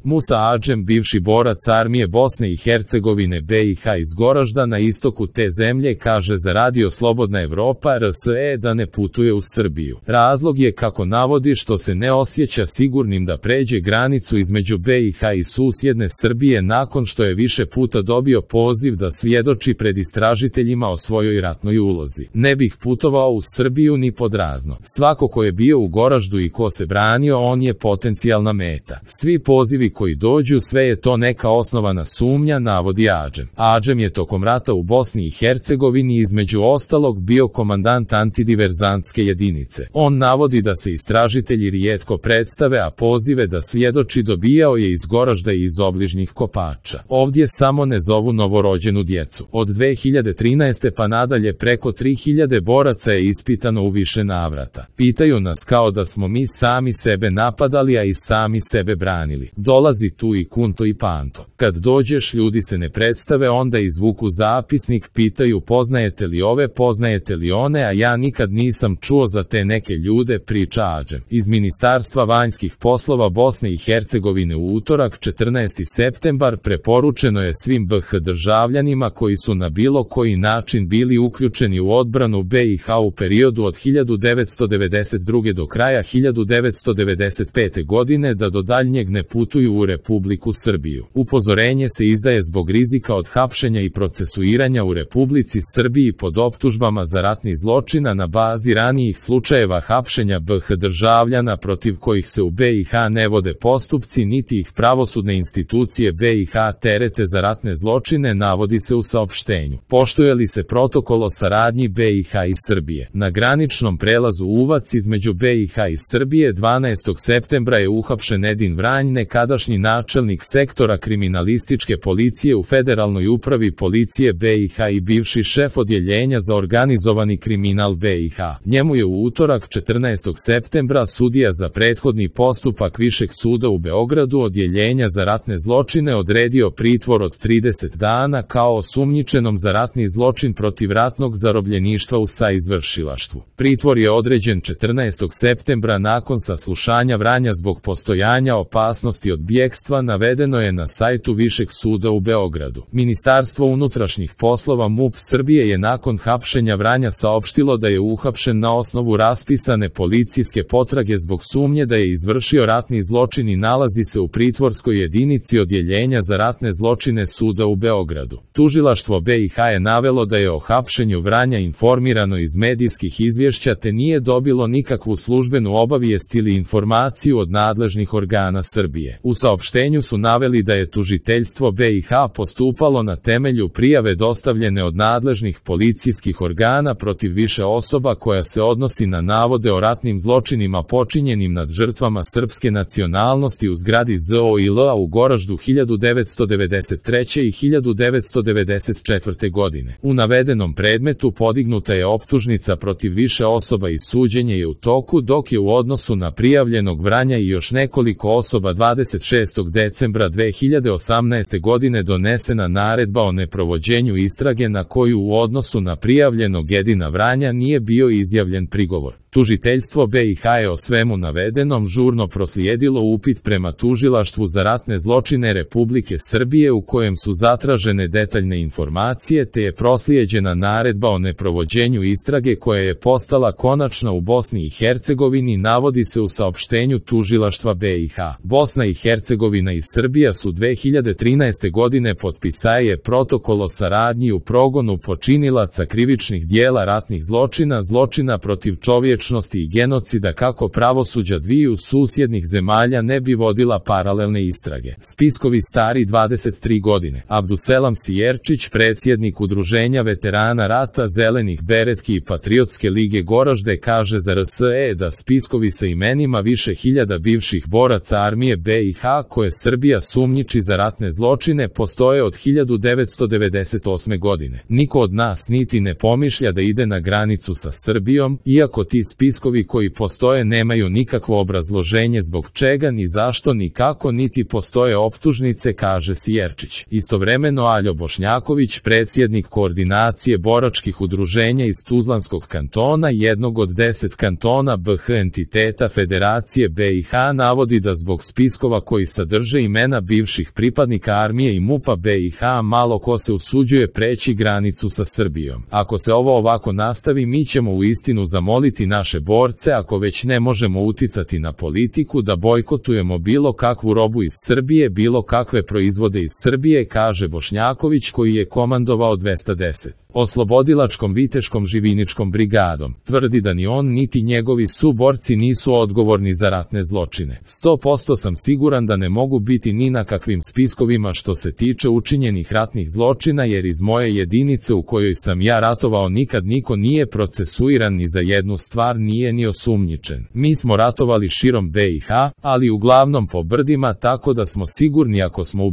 Musa Adžem, bivši borac armije Bosne i Hercegovine BiH iz Goražda na istoku te zemlje, kaže za Radio Slobodna Evropa RSE da ne putuje u Srbiju. Razlog je, kako navodi, što se ne osjeća sigurnim da pređe granicu između BiH i susjedne Srbije nakon što je više puta dobio poziv da svjedoči pred istražiteljima o svojoj ratnoj ulozi. Ne bih putovao u Srbiju ni pod razno. Svako ko je bio u Goraždu i ko se branio, on je potencijalna meta. Svi pozivi koji dođu, sve je to neka osnovana sumnja, navodi Adžem. Adžem je tokom rata u Bosni i Hercegovini između ostalog bio komandant antidiverzantske jedinice. On navodi da se istražitelji rijetko predstave, a pozive da svjedoči dobijao je iz Goražda i iz obližnjih Kopača. Ovdje samo ne zovu novorođenu djecu. Od 2013. pa nadalje preko 3000 boraca je ispitano u više navrata. Pitaju nas kao da smo mi sami sebe napadali, a i sami sebe branili. Dolazi tu i Kunto i Panto. Kad dođeš, ljudi se ne predstave, onda izvuku zapisnik, pitaju poznajete li ove, poznajete li one, a ja nikad nisam čuo za te neke ljude, priča Adžem. Iz Ministarstva vanjskih poslova Bosne i Hercegovine u utorak 14. septembar preporučeno je svim BiH državljanima koji su na bilo koji način bili uključeni u odbranu BiH u periodu od 1992. do kraja 1995. godine da do daljnjeg ne putuju u Republiku Srbiju. Upozorenje se izdaje zbog rizika od hapšenja i procesuiranja u Republici Srbiji pod optužbama za ratni zločina na bazi ranijih slučajeva hapšenja BiH državljana protiv kojih se u BiH ne vode postupci, niti ih pravosudne institucije BiH terete za ratne zločine, navodi se u saopštenju. Poštuje li se protokol o saradnji BiH i Srbije? Na graničnom prelazu Uvac između BiH i Srbije 12. septembra je uhapšen Edin Vranj, nekadašnji načelnik sektora kriminalističke policije u Federalnoj upravi policije BiH i bivši šef odjeljenja za organizovani kriminal BiH. Njemu je u utorak 14. septembra sudija za prethodni postupak Višeg suda u Beogradu odjeljenja za ratne zločine odredio pritvor od 30 dana kao osumnjičenom za ratni zločin protiv ratnog zarobljeništva u saizvršilaštvu. Pritvor je određen 14. septembra nakon saslušanja Vranja zbog postojanja opasnosti od bjegstva, navedeno je na sajtu Višeg suda u Beogradu. Ministarstvo unutrašnjih poslova MUP Srbije je nakon hapšenja Vranja saopštilo da je uhapšen na osnovu raspisane policijske potrage zbog sumnje da je izvršio ratni zločin i nalazi se u pritvorskoj jedinici odjeljenja za ratne zločine suda u Beogradu. Tužilaštvo BiH je navelo da je o hapšenju Vranja informirano iz medijskih izvješća te nije dobilo nikakvu službenu obavijest ili informaciju od nadležnih organa Srbije. U saopštenju su naveli da je tužiteljstvo BiH postupalo na temelju prijave dostavljene od nadležnih policijskih organa protiv više osoba koja se odnosi na navode o ratnim zločinima počinjenim nad žrtvama srpske nacionalnosti u zgradi ZOIL-a u Goraždu 1993. i 1994. godine. U navedenom predmetu podignuta je optužnica protiv više osoba i suđenje je u toku, dok je u odnosu na prijavljenog Vranja i još nekoliko osoba 26. decembra 2018. godine donesena naredba o neprovođenju istrage na koju u odnosu na prijavljenog Edina Vranja nije bio izjavljen prigovor. Tužiteljstvo BiH je o svemu navedenom žurno proslijedilo upit prema Tužilaštvu za ratne zločine Republike Srbije u kojem su zatražene detaljne informacije te je proslijeđena naredba o neprovođenju istrage koja je postala konačna u Bosni i Hercegovini, navodi se u saopštenju Tužilaštva BiH. Bosna i Hercegovina i Srbija su 2013. godine potpisali protokol o saradnji u progonu počinilaca krivičnih dijela ratnih zločina, zločina protiv čovječnosti i genocida kako pravosuđa dviju susjednih zemalja ne bi vodila paralelne istrage. Spiskovi stari 23 godine. Abduselam Sijerčić, predsjednik Udruženja veterana rata Zelenih beretki i Patriotske lige Goražde, kaže za RSE da spiskovi sa imenima više hiljada bivših boraca armije BiH koje Srbija sumnjiči za ratne zločine postoje od 1998. godine. Niko od nas niti ne pomišlja da ide na granicu sa Srbijom, iako ti spiskovi koji postoje nemaju nikakvo obrazloženje zbog čega ni zašto ni kako niti postoje optužnice, kaže Sijerčić. Istovremeno Aljo Bošnjaković, predsjednik koordinacije boračkih udruženja iz Tuzlanskog kantona, jednog od 10 kantona BH entiteta Federacije BiH, navodi da zbog spiskova koji sadrže imena bivših pripadnika armije i MUP-a BiH malo ko se usuđuje preći granicu sa Srbijom. Ako se ovo ovako nastavi, mi ćemo uistinu zamoliti naše borce, ako već ne možemo uticati na politiku, da bojkotujemo bilo kakvu robu iz Srbije, bilo kakve proizvode iz Srbije, kaže Bošnjaković, koji je komandovao 210. oslobodilačkom viteškom živiničkom brigadom. Tvrdi da ni on niti njegovi suborci nisu odgovorni za ratne zločine. 100% sam siguran da ne mogu biti ni na kakvim spiskovima što se tiče učinjenih ratnih zločina, jer iz moje jedinice u kojoj sam ja ratovao nikad niko nije procesuiran ni za jednu stvar, nije ni osumnjičen. Mi smo ratovali širom BiH, ali uglavnom po brdima, tako da smo sigurni ako smo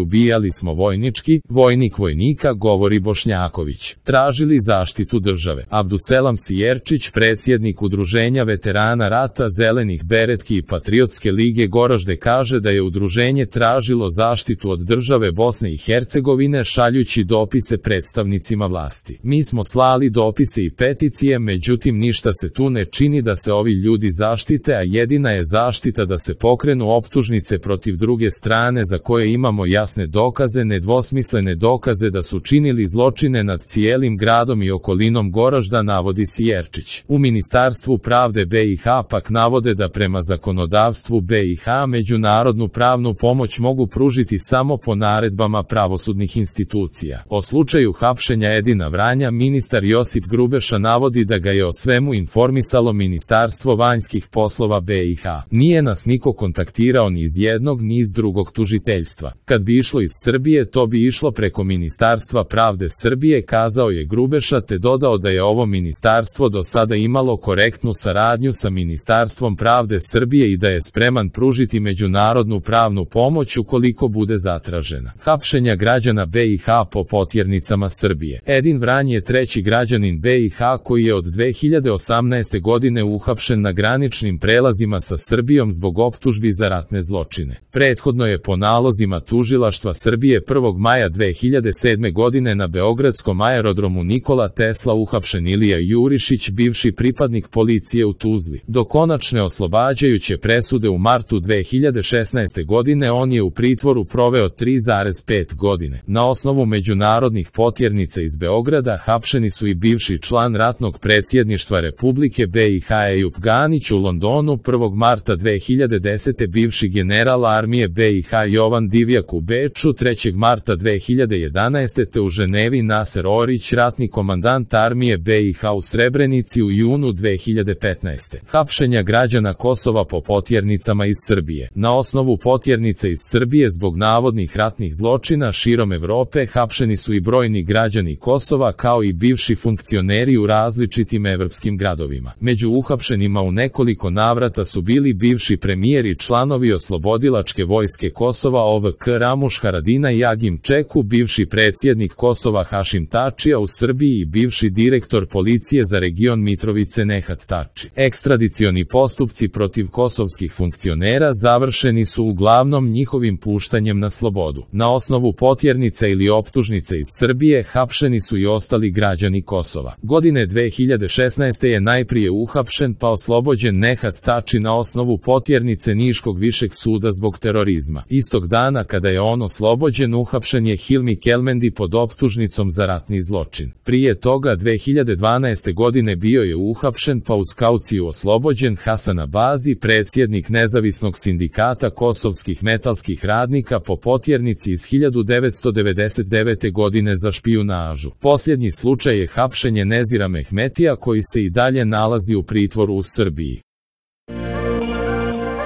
ubijali smo vojnički, vojnik vojnika, govori Bošnjaković. Tražili zaštitu države. Abduselam Sijerčić, predsjednik Udruženja veterana rata Zelenih beretki i Patriotske lige Goražde, kaže da je udruženje tražilo zaštitu od države Bosne i Hercegovine šaljući dopise predstavnicima vlasti. Mi smo slali dopise i peticije, međutim ništa se tu ne čini da se ovi ljudi zaštite, a jedina je zaštita da se pokrenu optužnice protiv druge strane za koje imamo jasne dokaze, nedvosmislene dokaze da su činili zločine nad cijelim gradom i okolinom Goražda, navodi Sijerčić. U Ministarstvu pravde BiH pak navode da prema zakonodavstvu BiH međunarodnu pravnu pomoć mogu pružiti samo po naredbama pravosudnih institucija. O slučaju hapšenja Edina Vranja ministar Josip Grubeša navodi da ga je o svemu informisalo Ministarstvo vanjskih poslova BiH. Nije nas niko kontaktirao ni iz jednog ni iz drugog tužiteljstva. Kad bi išlo iz Srbije, to bi išlo preko Ministarstva pravde Srbije, kazao je Grubeša, te dodao da je ovo ministarstvo do sada imalo korektnu saradnju sa Ministarstvom pravde Srbije i da je spreman pružiti međunarodnu pravnu pomoć ukoliko bude zatražena. Hapšenja građana BiH po potjernicama Srbije. Edin Vranj je treći građanin BiH koji je od 2018. godine uhapšen na graničnim prelazima sa Srbijom zbog optužbi za ratne zločine. Prethodno je po nalozima tužilaštva Srbije 1. maja 2007. godine na beogradskom aerodromu Nikola Tesla uhapšen Ilija Jurišić, bivši pripadnik policije u Tuzli. Do konačne oslobađajuće presude u martu 2016. godine on je u pritvoru proveo 3,5 godine. Na osnovu međunarodnih potjernica iz Beograda hapšeni su i bivši član ratnog predsjedništva Republike BiH Ejup Ganić u Londonu 1. marta 2010. bivši general armije BiH Jovan Divjak u Beču 3. marta 2011. te u Ženevi Naser Orić, ratni komandant armije BiH u Srebrenici u junu 2015. Hapšenja građana Kosova po potjernicama iz Srbije. Na osnovu potjernica iz Srbije zbog navodnih ratnih zločina širom Evrope hapšeni su i brojni građani Kosova kao i bivši funkcioneri u različitim evropskim gradovima. Među uhapšenima u nekoliko navrata su bili bivši premijer i članovi Oslobodilačke vojske Kosova OVK Ramuš Haradinaj i Agim Čeku, bivši predsjednik Kosova Hašim Tačija u Srbiji i bivši direktor policije za region Mitrovice Nehat Tači. Ekstradicioni postupci protiv kosovskih funkcionera završeni su uglavnom njihovim puštanjem na slobodu. Na osnovu potjernica ili optužnice iz Srbije hapšeni su i ostali građani Kosova. Godine 2016. je najprije uhapšen pa oslobođen Nehat Tači na osnovu potjernice Niškog višeg suda zbog terorizma. Istog dana kada je on oslobođen, uhapšen je Hilmi Kelmendi pod optužnicom za ratni zločin. Prije toga 2012. godine bio je uhapšen pa uz kauciju oslobođen Hasan Abazi, predsjednik nezavisnog sindikata kosovskih metalskih radnika po potjernici iz 1999. godine za špijunažu. Posljednji slučaj je hapšenje Nezira Mehmetija koji se i dalje nalazi u pritvoru u Srbiji.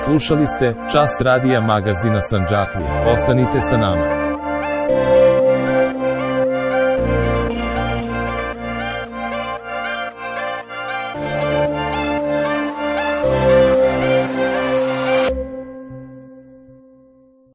Slušali ste Čas radija magazina Sandžaklija. Ostanite sa nama.